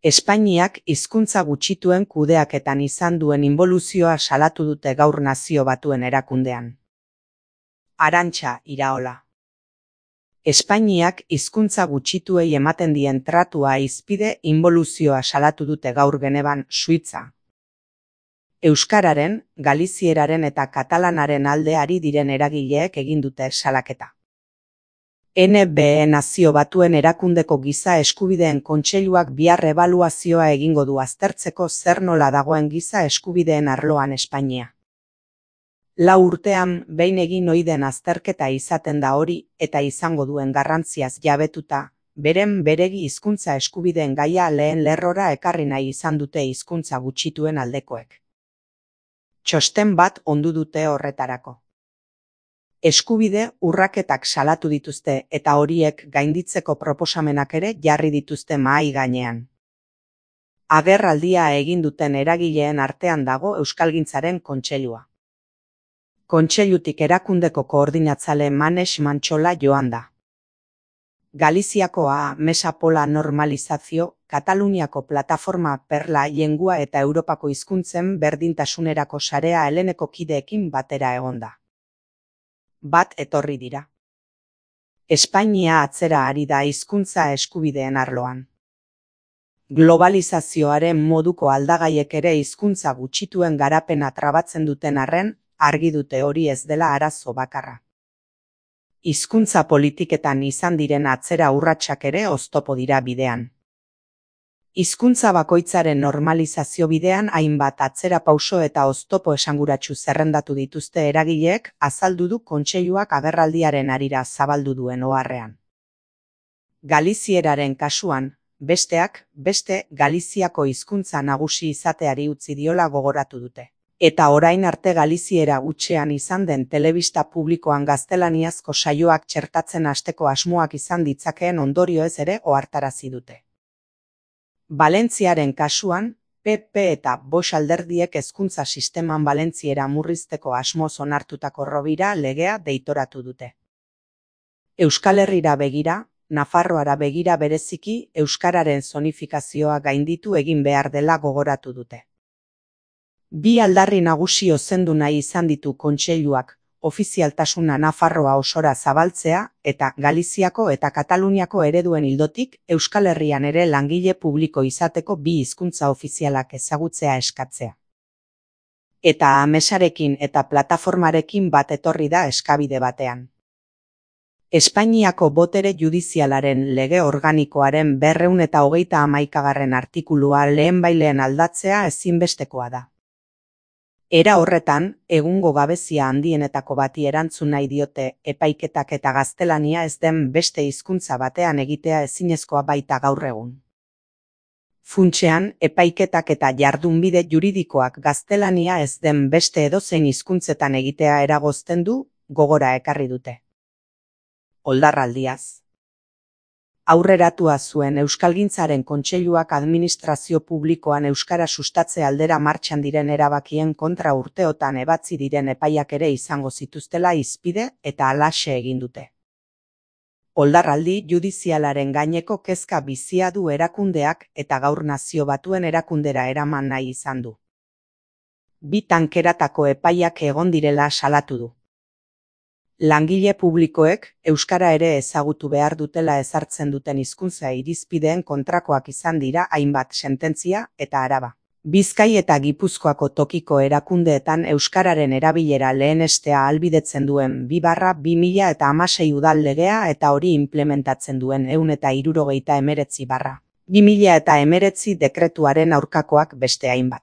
Espainiak hizkuntza gutxituen kudeaketan izan duen inboluzioa salatu dute gaur Nazio Batuen Erakundean. Arantxa Iraola. Espainiak hizkuntza gutxituei ematen dien tratua hizpide inboluzioa salatu dute gaur Genevan, Suitza. Euskararen, galizieraren eta katalanaren alde ari diren eragileek egin dute salaketa. NBE Nazio Batuen Erakundeko Giza Eskubideen Kontseiluak bihar ebaluazioa egingo du aztertzeko zer nola dagoen giza eskubideen arloan Espainia. 4 urtean behin egin ohi den azterketa izaten da hori eta izango duen garrantziaz jabetuta, beren beregi hizkuntza eskubideen gaia lehen lerrora ekarri nahi izan dute hizkuntza gutxituen aldekoek. Txosten bat ondu dute horretarako. Eskubide urraketak salatu dituzte eta horiek gainditzeko proposamenak ere jarri dituzte mahai gainean. Agerraldia egin duten eragileen artean dago Euskalgintzaren Kontseilua. Kontseilutik erakundeko koordinatzale Manex Mantxola joan da. Galiziakoa Mesa Pola Normalizazio, Kataluniako Plataforma Perla Lengua eta Europako hizkuntzen berdintasunerako sarea heleneko kideekin batera egonda. Bat etorri dira. Espainia atzera ari da hizkuntza eskubideen arloan. Globalizazioaren moduko aldagaiek ere hizkuntza gutxituen garapena trabatzen duten arren, argi dute hori ez dela arazo bakarra. Hizkuntza politiketan izan diren atzera urratsak ere oztopo dira bidean. Hizkuntza bakoitzaren normalizazio bidean hainbat atzera pauso eta oztopo esanguratsu zerrendatu dituzte eragileek azaldu du Kontseiluak agerraldiaren harira zabaldu duen oharrean. Galizieraren kasuan, besteak beste Galiziako hizkuntza nagusi izateari utzi diola gogoratu dute. Eta orain arte Galiziera hutsean izan den telebista publikoan gaztelaniazko saioak txertatzen hasteko asmoak izan ditzakeen ondorioez ere ohartarazi dute. Valentziaren kasuan, PP eta Vox alderdiek hezkuntza sisteman valentziera murrizteko asmoz onartutako Rovira legea deitoratu dute. Euskal Herrira begira, Nafarroara begira bereziki euskararen zonifikazioa gainditu egin behar dela gogoratu dute. Bi aldarri nagusi ozendu nahi izan ditu Kontseiluak, ofizialtasuna Nafarroa osora zabaltzea eta Galiziako eta Kataluniako ereduen ildotik Euskal Herrian ere langile publiko izateko bi hizkuntza ofizialak ezagutzea eskatzea. Eta Amesarekin eta plataformarekin bat etorri da eskabide batean. Espainiako botere judizialaren lege organikoaren 231. artikulua lehenbailehen aldatzea ezinbestekoa da. Era horretan, egungo gabezia handienetako bati erantzun nahi diote epaiketak eta gaztelania ez den beste hizkuntza batean egitea ezinezkoa baita gaur egun. Funtsean, epaiketak eta jardunbide juridikoak gaztelania ez den beste edozein hizkuntzetan egitea eragozten du, gogora ekarri dute. Oldarraldiaz. Aurreratua zuen Euskalgintzaren Kontseiluak administrazio publikoan euskara sustatze aldera martxan diren erabakien kontra urteotan ebatzi diren epaiak ere izango zituztela hizpide eta halaxe egin dute. Oldarraldi judizialaren gaineko kezka bizia du erakundeak eta gaur Nazio Batuen Erakundera eraman nahi izan du. Bi tankeratako epaiak egon direla salatu du. Langile publikoek euskara ere ezagutu behar dutela ezartzen duten hizkuntza irizpideen kontrakoak izan dira hainbat sententzia eta araba. Bizkai eta Gipuzkoako tokiko erakundeetan euskararen erabilera lehenestea ahalbidetzen duen 2/2016 udal legea eta hori implementatzen duen 169/2019 dekretuaren aurkakoak beste hainbat.